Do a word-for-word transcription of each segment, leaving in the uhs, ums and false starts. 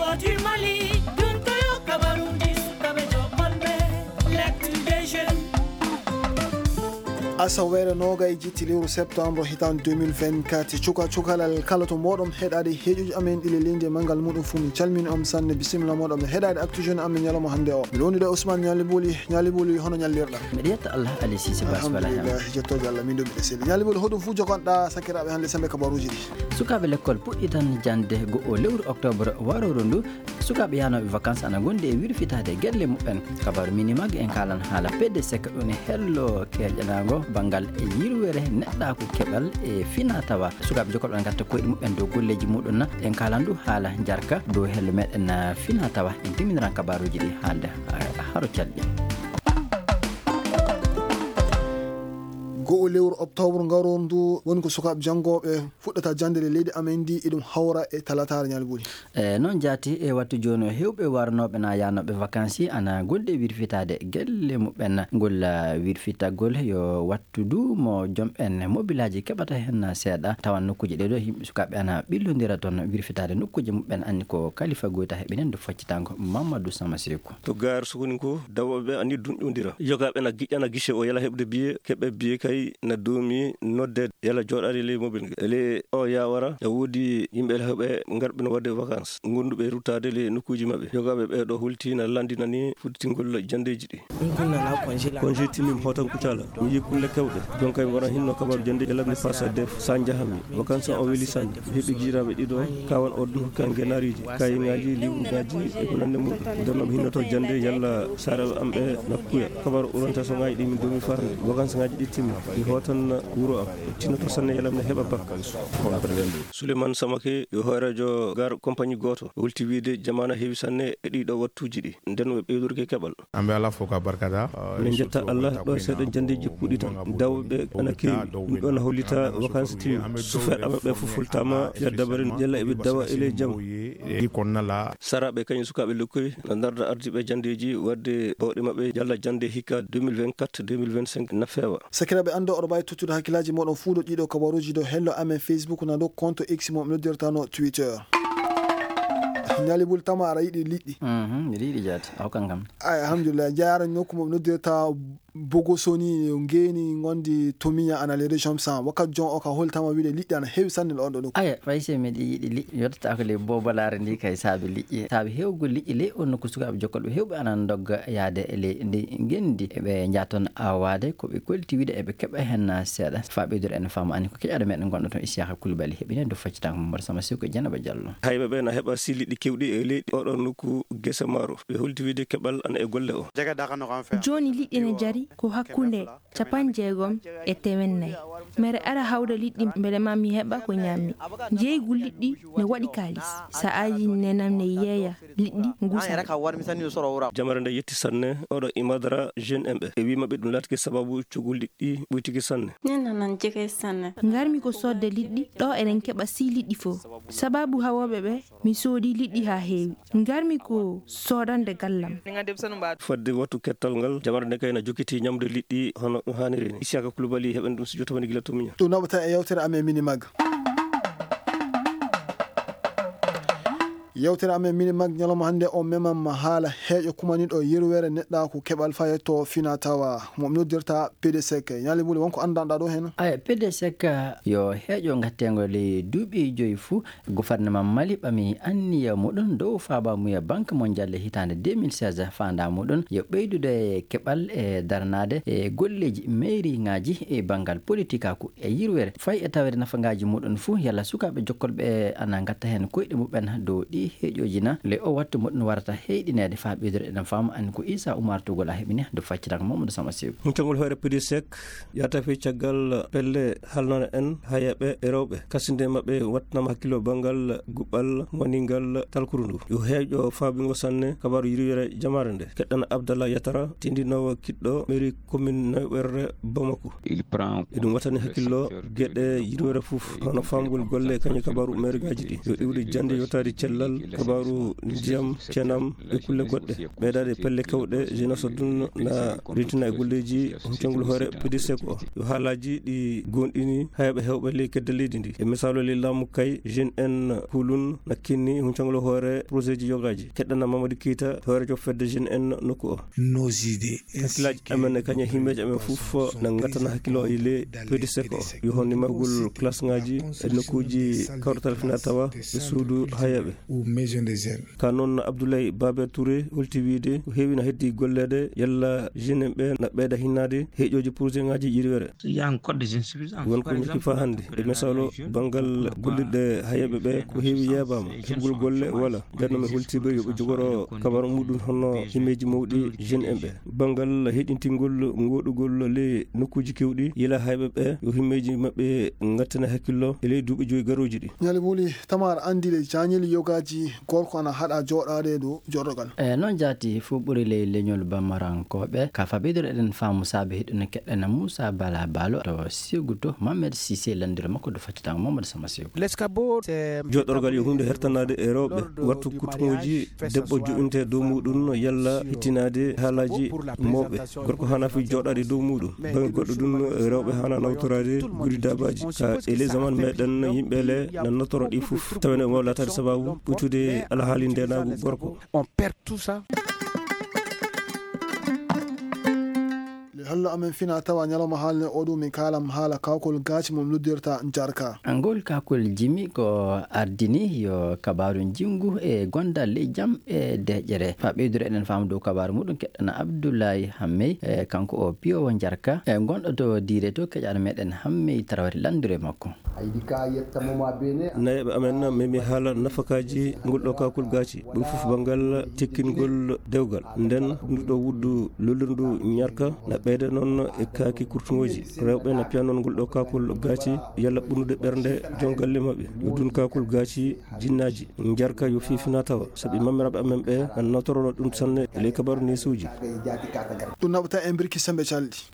Ko du Mali, ɗum ko yo kabaruuji sukaaɓe joɓɓanɓe, l'actu des jeunes. Asaweere noogay jitti lewru septembre hitaande deux mille vingt-quatre, cuka cukalal kala to mooɗon heɗaade heeƴuji amen ɗi le leydi e manngal muɗum fuu, min calmini on sanne, bisimilla mooɗon e heɗaade actu jeune amen ñalawma hannde o. Miɗo wondude e Ousmane Ñaali Buli. Ñaali Buli, hono ñallirɗaa? Miɗo yetta Allah, Ali Cissé Bas, wala heen. Alhamdulillah, jettooje Allah, min ɗo miɗo selli. Ñaali Buli, hoɗum fuu jogonɗaa sakiraaɓe hannde semmbe kabaruuji ɗi? Sukaaɓe lekkol puɗɗitan jannde goo oo lewru oktoobre warooru ndu. Sukaaɓe yahnooɓe vacances ana ngondi e wirfitaade gelle muɓɓen. Kabaaru Minimag en kaalan haala P D C ko ɗum e hello keeƴanaango banngal e yirwere neɗɗaaku keɓal e fina tawa. Sukaaɓe jokkol ɓe ngatta koyɗe muɓɓen dow golleeji muɗum na. En kaalan du haala njarka dow hello meɗen, ah, fina tawa. En timminiran kabaaruuji ɗi haalde, ah, haro calɗi. Goo lewru oktoobre ngarooru ndu woni ko sukaaɓe janngooɓe fuɗɗata jannde le leydi amen ndi, eɗum hawra e talataare Ñaali Buli. E noon jaati e wattu jooni o, heewɓe warnooɓe na yahnooɓe vacances ana ngondi e wirfitaade gelle muɓɓen. Ngol, ah, wirfitagol yo wattu du mo joom en mobilaaji keɓata heen seeɗa. Tawan nokkuuji ɗee ɗoo yimɓe sukaaɓe ana ɓillondira toon wirfitaade nokkuuji muɓɓen. Anni ko kalifa goyta heɓinen ndu faccitango Mamadou Sama Seku. To Gare Sokoninko, dawooɓe ɓe ani dunƴondira. Yogaaɓe na giƴƴana guichet o yala heɓde billet, keɓɓe billet kay na doomi nodde yala jooɗaade ley mobil nge. Ele o yawara, na woodi yimɓe heɓe ngarɓe no waɗde vacances, ngonduɓe ruttaade ley nokkuuji maɓɓe. Yogaaɓe ɓee ɗoo holti na lanndinani fuɗɗitingol janndeeji ɗi. Congé timmi mi hootan Kucala. Mi yii kulle kewɗe. Jooni kay mi wona hinno kabaaru jannde e labde fasa def sa njahami. Vacances o weli sanne. Mi heɓi giiraaɓe ɗiɗo, kawan o ɗum hokki am genaariiji, kayiŋaaji, liwruŋaaji e ko nanndi muɗum. Nden no mi hinnoto jannde yalla saaraaɓe am ɓe na kuya. Kabaaru uranta so ŋaaji ɗi min doomi faa hannde. Vacances ŋaaji ɗi timmi. Mi hootan wuro am. Tinnoto sanne yalla mi heɓa bac. Souleymane Samake yo hooreejo Gare compagnie gooto. O holti wiyde jamaana heewi sanne e ɗii ɗoo wattuuji ɗi. Nden ɓe ɓeydorke keɓal. An bɛ Ala fo ka barikada. Min njetta Allah ɗo seeɗa janndeeji puɗɗitan. Dawɓe ana keewi. Ɗum ɗon hollita vacances timmi. Sufeeɓe maɓɓe fof fultama nder dabare yalla eɓe dawa e ley jam. Di kɔnɔna la. Saraaɓe kañum sukaaɓe lekkoy na ndarda ardiiɓe janndeeji waɗde bawɗe maɓɓe yalla jannde hikka deux mille vingt-quatre deux mille vingt-cinq na feewa. Sakiraaɓe, annde oɗo mbaawi tottude hakkillaaji mooɗon fuu ɗo ɗiɗo kabaruuji ɗo hello amen Facebook na ɗo compte X mo mi noddirta no Twitter. Ñaali Buli, tama aɗa yiɗi liɗɗi? Mhm, mbiɗa yiɗi jaati. Aw, kankam. Ay, alhamdulillah. Jeyaara nokku mo noddirta Bogosoni, ngeeni ngondi Tomiya ana les régions cent. Wakkati jon o ka holtama wiide liɗɗi ana heewi sanne ɗo on ɗo nokku. Aya, fay si miɗo yiɗi liƴƴi, yottata ko ley bobolaare ndi kay saabi liƴƴi. Saabi heewgol liƴƴi ley on nokku, sukaaɓe jokkolɓe heewɓe ana ndogga yaade e ley ndi ngendi. Eɓe njaha toon awaade ko ɓe kolti wiide eɓe keɓa heen seeɗa. Faa ɓeydude en faamu ani ko keƴaɗo meɗen gonɗo toon Isiyaka Koulibaly heɓini en do faccitango Mamadou Sama Seku e Dieynaba Diallo. Hayɓe ɓe na heɓa si liɗɗi kewɗi e leydi oɗo nokku gese maaro. Ɓe holti wiide keɓal ana e golle o. Jooni liɗɗi ne jari ko hakkunde capanɗe jeegom e teemeɗɗe nayi. Mere ara hawda liɗɗi mbele ma mi heɓa ko ñaammi. Njeeygu liɗɗi ne waɗi kaalis. Sa'aaji nenam ne yeeya liɗɗi ngusa. Jamare nde yetti sanne oɗo Imadara jeune en ɓe. E wii maɓɓe ɗum laatike sababu coggu liɗɗi ɓuytiki sanne. Ngarmi ko soodde liɗɗi, ɗo eɗen keɓa si liɗɗi fof. Sababu hawooɓe ɓe, mi soodi liɗɗi haa heewi. Ngarmi ko soodande gallam. Fadde wattu kettal ngal, jamare nde kay na jokkiti ñamde liɗɗi hono ɗum haaniri ni. Isiyaka Koulibaly heɓen ɗum si jotta woni gila to miña. Ɗum naɓata e yewtere amen Minimag. Yewtere amen Minimag ñalawma hannde o memam haala heeƴo kumaniɗo yirwere neɗɗaaku keɓal fayetto fina tawa mo mi noddirta P D C K. Ñaali Buli, wonko anndanɗaa ɗo heen? Aya, P D C K yo heeƴo ngattengo ley duuɓi joyi fuu. Gouvernement Mali ɓami anniya muɗum dow faabamuya Banque Mondiale hitaande deux mille seize, faandaa muɗum yo ɓeydude keɓal e daranaade e golleeji meeriŋaaji e banngal politikaaku e yirwere. Fay e taweede nafagaaji muɗum fuu, yalla sukaaɓe jokkolɓe ana ngatta heen koyɗe muɓɓen dow ɗi heeƴooji na, le o wattu muɗum warata heyɗineede faa ɓeydude eɗen faama an ko Issa Oumar Togola heɓini do faccitaka Mamadou Sama Sew. Huncagol hoore P D C K Yahata fey caggal pelle halnana en hayaɓe e rewɓe. Kasinde maɓɓe wattanama hakkillo banngal guɓɓal woni ngal talkuru ndu. Yo heeƴo faabingo sanne kabaaru yirwere jamaare nde. Keɗɗan Abdallah Yatara, tindinoowo kiɗɗo mairie commune Newɓerre Bamako. Eɗum wattani hakkillo geɗe yirwere fof, hono faamgol golle kañum kabaaru maire ngaji ɗi. Yo iwde jannde yottaade cellal Kabaaru ndiyam, cenam e kulle goɗɗe. Ɓeydaade pelle kewɗe, Jeunesse o ɗum na reentina e golleeji huncangol hoore P D C ko. Yo haalaaji ɗi goonɗini hayɓe heewɓe ley kedde leydi ndi. E misaalu ley laamu kay, Jeune en Hulun na kinni huncangol hoore projet ji yogaaji. Keɗɗana Mamadou Keita, hooreejo fedde Jeune en nokku o. Hakkillaaji amen e kañe himmeeji amen fof na ngattana hakkillo e ley P D C ko. Yo honno mahgol classe ngaaji e nokkuuji kawrital fina tawa e suudu hayeeɓe. Ka noon Abdoulaye Babe Touré holti wiide ko heewi na heddi golleede yalla jeune en ɓe na ɓeyda hinnaade heeƴooji projet ngaaji ƴiriwere. Won ko ñakki faa hannde. E misaalu, banngal gollirɗe hayeeɓe ɓe ko heewi yeebaama. Heɓgol golle wala. Nden noon mi holtiiɓe yo ɓe jogoro kabaru muɗum hono himmeeji mawɗi jeune en ɓe. Banngal heɗintingol ngoɗugol ley nokkuuji kewɗi, yila hayɓe ɓe yo himmeeji maɓɓe ngattane hakkillo e ley duuɓi joyi garooji ɗi. Ñali Wuli, Tamar anndi le jañil yogaaji gorko ana haɗa jooɗaade dow jorɗogal. E noon jaati fof ɓuri ley leñol Bamarankooɓe. Ka faɓidoro eɗen faamu saabe hiɗen keɗɗana Moussa Bala Balo to Seguto Mohamed Cissé lanndiro makko do fattitango Mamadou Sama Sew. Joɗorgal yo huunde hertanaade e rewɓe. Wattu kutuŋuuji debbo joɗinte dow muɗum no yalla hittinaade haalaaji mawɓe. Gorko hana fi joɗaade dow muɗum. Baŋnge goɗɗo ɗum, rewɓe hana nawtoraade gudi daabaaji. Ka e ley zaman meɗen yimɓe le na notoro ɗi fof. Tawa ne wawa laataade sababu ɓuytude alhaali ndenaagu gorko. Le hallo amen fina tawa ñalawma haalne o ɗum min kaalam haala kawkol gaaci mum noddirta jarka. Ngol kakol jimi ko ardini yo kabaaru njinngu e gondal ley jam e deƴƴere. Fa ɓeydoro eɗen faamu dow kabaaru muɗum keɗɗana Abdoulaye Hammey, e kanko o piyowo jarka, e gonɗo to diire to keƴaɗo meɗen Hammey Tarawati lanndiro e makko. Nayeɓe amen memi haala nafakaaji ngol ɗo kakol gaaci. Ɗum fof banngal tekkingol dewgal. Nden ndu ɗo wuddu lollirndu ñarka na ɓeyda noon e kaaki kurtuŋooji. Rewɓe na piya noon ngol ɗo kakol gaaci yalla ɓurnude ɓernde jongalle maɓɓe. Yo ɗum kakol gaaci jinnaaji. Njarka yo fiifina tawa. Sabi mammiraɓe amen ɓe na notorono ɗum sanne e ley kabaru neesuuji. Ɗum naɓata en birki sembe calɗi.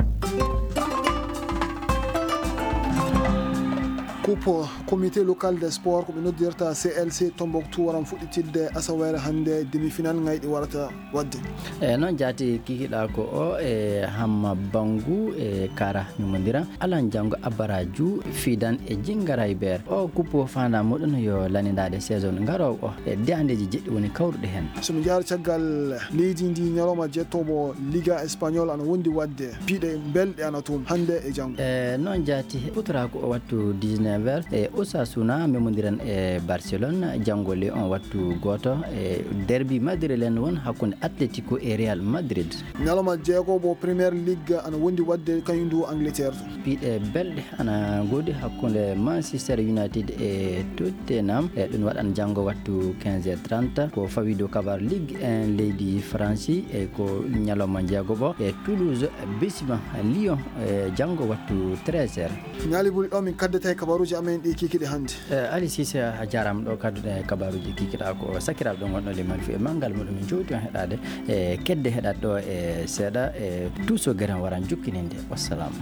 Coupe comité local des sports ko ɓe noddirta C L C Tombouctou waran fuɗɗitirde asaweere hannde, demi-finale ngayɗi warata waɗde. E noon jaati kikiɗa ko o e Hamma Bangu e Kara Mimodira Alan Jango Abaraju Fidan e Jingara Iber. O kuppo fanda muɗum yo lanidade saison garowo o e deyandeji jeɗɗi woni kawruɗe hen. So mi jaari caggal leydi ndi, ñalawma jettoobo Liga Espagnol ana wondi waɗde. Piɗe belɗe ana toon hannde e janngo. E noon jaati, hutoraaku o wattu dix-neuf heures e Osasuna memodiran e Barcelone, janngo le on wattu gooto e derbi madrilène won hakkunde Atletico e Real Madrid. Ñalawma jeegobo Premier League ana wondi waɗde kañum ndu Angleterre to. Piɗe belɗe ana ngoodi hakkunde Manchester United e Tottenham. E ɗum waɗan janngo wattu quinze heures trente. Ko fawi dow kabar Ligue un leydi Faransi e ko ñalawma jeegobo e Toulouse bisima Lyon e janngo wattu treize heures. Ñaali buli ɗo min kaddata e kabaruuji amen ɗi kikiɗe hannde. E, Ali Cissé, a jaaraama ɗo kadduɗen e kabaruuji kikiɗa ko sakiraaɓe ɓe ngonɗon liman fi e manngal muɗum min jowti on heɗaade e kedde heɗat ɗo e seeɗa e tuuso geren waran jukkininde. Wassalam.